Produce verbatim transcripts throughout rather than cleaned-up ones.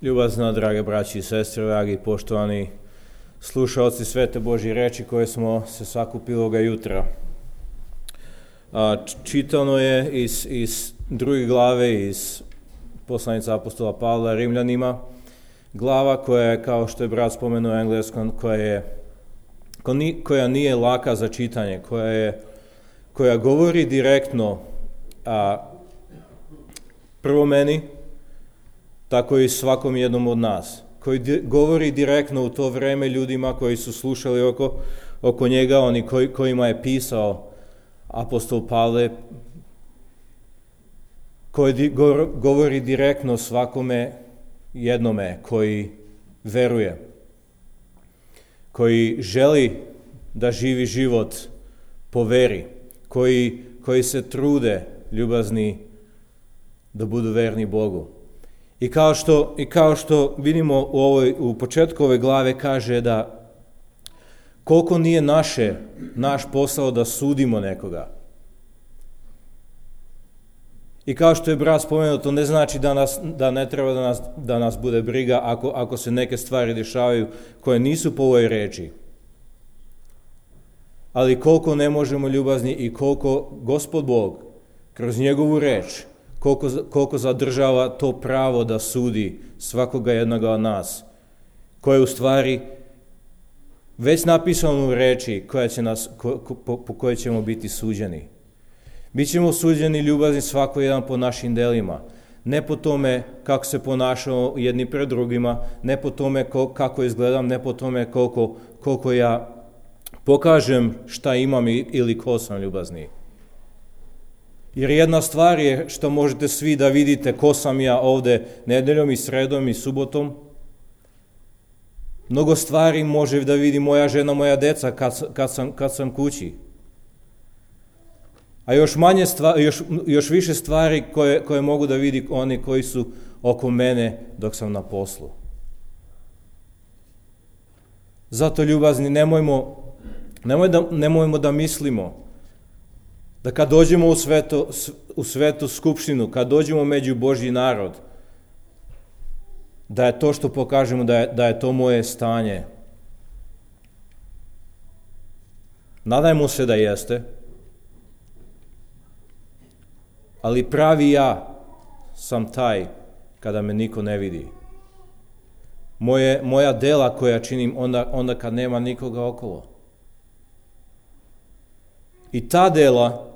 Ljubazna, drage braći i sestre, dragi poštovani slušaoci Svete Božje reči koje smo se sakupili ovoga jutra. A, čitano je iz, iz druge glave, iz poslanice apostola Pavla Rimljanima, glava koja je, kao što je brat spomenuo u engleskom, koja, je, koja nije laka za čitanje, koja, je, koja govori direktno a, prvo meni, tako i svakom jednom od nas, koji di, govori direktno u to vreme ljudima koji su slušali oko, oko njega, oni koji, kojima je pisao apostol Pavle, koji di, go, govori direktno svakome jednome koji veruje, koji želi da živi život po veri, koji, koji se trude, ljubazni, da budu verni Bogu. I kao što, i kao što vidimo u, ovoj, u početku ove glave kaže da koliko nije naše, naš posao da sudimo nekoga. I kao što je brat spomenuo, to ne znači da, nas, da ne treba da nas, da nas bude briga ako, ako se neke stvari dešavaju koje nisu po ovoj reči. Ali koliko ne možemo ljubazni i koliko Gospod Bog kroz njegovu reč Koliko, koliko zadržava to pravo da sudi svakoga jednoga od nas, koje je u stvari već napisano u reči koja će nas, ko, ko, po, po kojoj ćemo biti suđeni. Bićemo suđeni ljubazni svako jedan po našim delima, ne po tome kako se ponašamo jedni pred drugima, ne po tome ko, kako izgledam, ne po tome koliko, koliko ja pokažem šta imam ili ko sam ljubazni. Jer jedna stvar je što možete svi da vidite ko sam ja ovde nedeljom i sredom i subotom. Mnogo stvari može da vidi moja žena, moja deca kad, kad, sam, kad sam kući. A još, manje stvari, još, još više stvari koje, koje mogu da vidi oni koji su oko mene dok sam na poslu. Zato ljubazni, nemojmo, nemoj da, nemojmo da mislimo da kad dođemo u, sveto, u svetu skupštinu, kad dođemo među Božji narod, da je to što pokažemo, da je, da je to moje stanje. Nadajmo se da jeste, ali pravi ja sam taj kada me niko ne vidi. Moje, moja dela koja činim onda, onda kad nema nikoga okolo. I ta dela,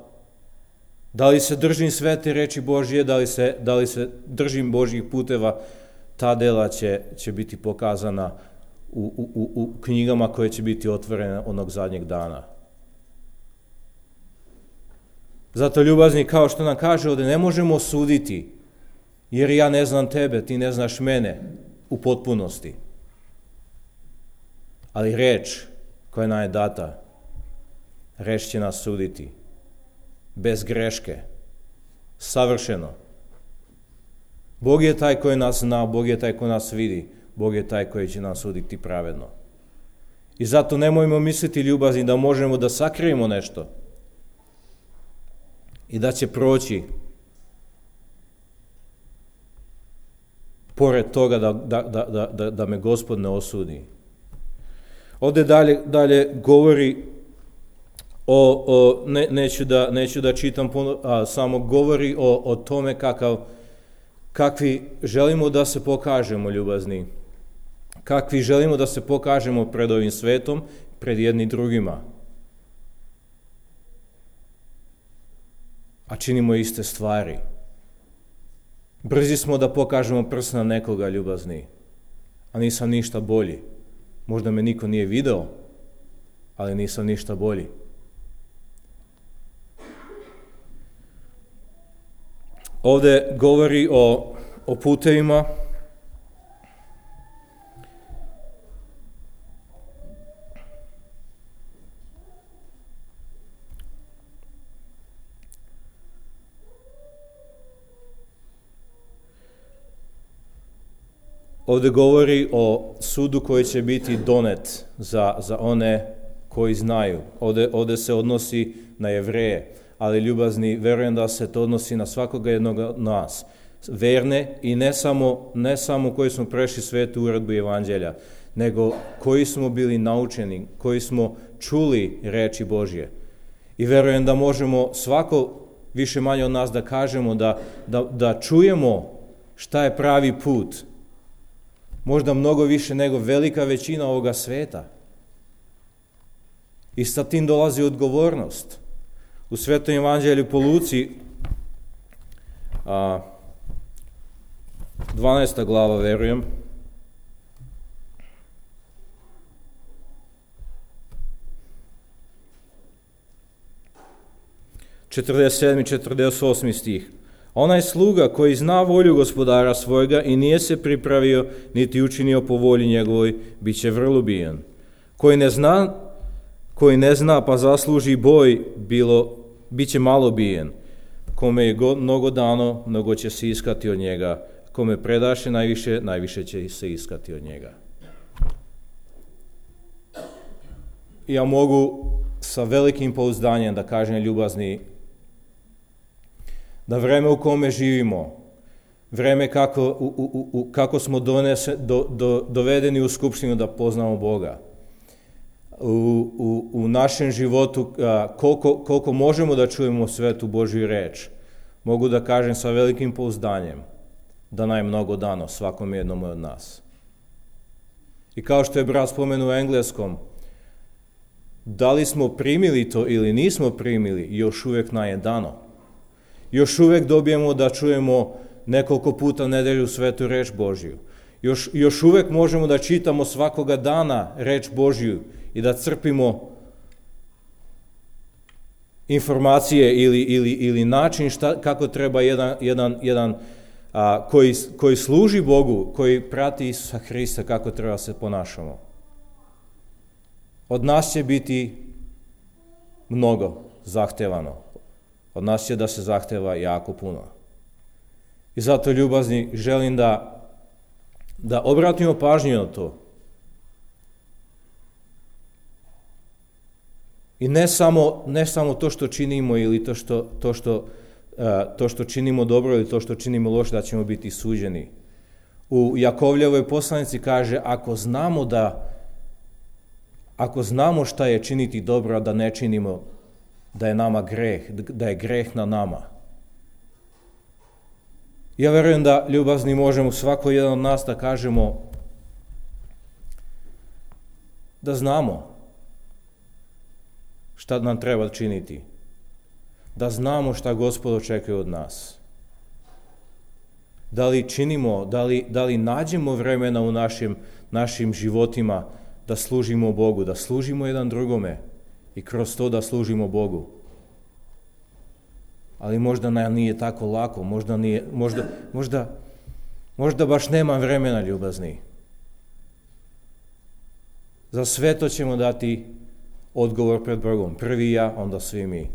da li se držim svete reči Božje, da li se, da li se držim Božjih puteva, ta dela će, će biti pokazana u, u, u knjigama koje će biti otvorene onog zadnjeg dana. Zato ljubazni, kao što nam kaže ovdje, ne možemo suditi, jer ja ne znam tebe, ti ne znaš mene u potpunosti. Ali reč koja nam je data, reč će nas suditi, bez greške, savršeno. Bog je taj koji nas zna, Bog je taj koji nas vidi, Bog je taj koji će nas suditi pravedno. I zato nemojmo misliti ljubazni da možemo da sakrijemo nešto i da će proći pored toga da, da, da, da, da me Gospod ne osudi. Ovdje dalje, dalje govori O, o, ne, neću, da, neću da čitam puno, a samo govori o, o tome kakav, kakvi želimo da se pokažemo ljubazni, kakvi želimo da se pokažemo pred ovim svetom, pred jedni drugima. A činimo iste stvari. Brzi smo da pokažemo prst na nekoga ljubazni, a nisam ništa bolji. Možda me niko nije video, ali nisam ništa bolji. Ovdje govori o, o putevima, ovdje govori o sudu koji će biti donet za, za one koji znaju. Ovdje, ovdje se odnosi na Jevreje, ali ljubazni, verujem da se to odnosi na svakoga jednog od nas. verne i ne samo, ne samo koji smo prešli svetu uredbu Evanđelja, nego koji smo bili naučeni, koji smo čuli reči Božje. I verujem da možemo svako više manje od nas da kažemo, da, da, da čujemo šta je pravi put. Možda mnogo više nego velika većina ovoga sveta. I sa tim dolazi odgovornost. U Svetom Evanđelju po Luci, a, dvanaesta glava, verujem, četrdeset sedmi i četrdeset osmi stih. Onaj sluga koji zna volju gospodara svojega i nije se pripravio, niti učinio po volji njegovoj, bit će vrlo bijen. Koji ne zna, koji ne zna pa zasluži boj, bilo, bit će malo bijen. Kome je go, mnogo dano, mnogo će se iskati od njega. Kome predaše najviše, najviše će se iskati od njega. Ja mogu sa velikim pouzdanjem da kažem, ljubazni, da vreme u kome živimo, vreme kako, u, u, u, kako smo donese, do, do, dovedeni u skupštinu da poznamo Boga, u, u, u našem životu, a, koliko, koliko možemo da čujemo svetu Božju reč, mogu da kažem sa velikim pouzdanjem da nam je mnogo dano svakom jednom od nas. I kao što je brat spomenuo u engleskom, da li smo primili to ili nismo primili, još uvijek nam je dano. Još uvijek dobijemo da čujemo nekoliko puta nedelju svetu reč Božju. Još, još uvijek možemo da čitamo svakoga dana reč Božju i da crpimo informacije ili, ili, ili način šta, kako treba jedan, jedan, jedan a, koji, koji služi Bogu, koji prati Isusa Hrista, kako treba se ponašamo. Od nas će biti mnogo zahtevano. Od nas će da se zahteva jako puno. I zato, ljubazni, želim da, da obratimo pažnju na to. I ne samo, ne samo to što činimo ili to što, to, što, uh, to što činimo dobro ili to što činimo loše, da ćemo biti suđeni. U Jakovljevoj poslanici kaže, ako znamo da ako znamo šta je činiti dobro, a da ne činimo, da je nama greh, da je greh na nama. Ja verujem da, ljubazni, možemo svako jedan od nas da kažemo da znamo šta nam treba činiti, da znamo šta Gospod očekuje od nas. Da li činimo, da li, da li nađemo vremena u našim, našim životima da služimo Bogu, da služimo jedan drugome i kroz to da služimo Bogu. Ali možda nam nije tako lako, možda, nije, možda, možda, možda baš nema vremena, ljubazni. Za sve to ćemo dati odgovor pred Bogom. Prvi ja, onda svi mi.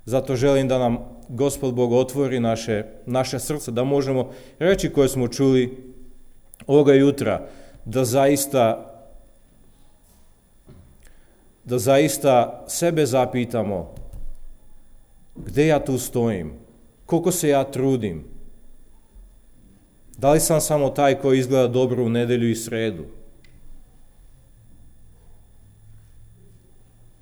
Zato želim da nam Gospod Bog otvori naše, naše srce, da možemo reći koje smo čuli ovoga jutra, da zaista da zaista sebe zapitamo gde ja tu stojim, koliko se ja trudim, da li sam samo taj koji izgleda dobro u nedelju i sredu.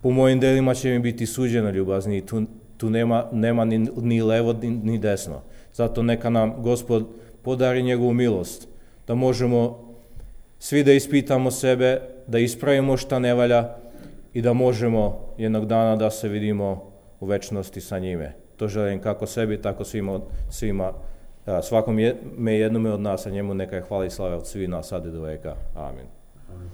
Po mojim delima će mi biti suđeno, ljubazni, tu, tu nema, nema ni, ni levo ni, ni desno. Zato neka nam Gospod podari njegovu milost, da možemo svi da ispitamo sebe, da ispravimo šta ne valja, i da možemo jednog dana da se vidimo u večnosti sa njime. To želim kako sebi, tako svima, svima svakom je, me jednome od nas, a njemu neka je hvala i slava od svih nas, sad i do veka. Amin. Amin.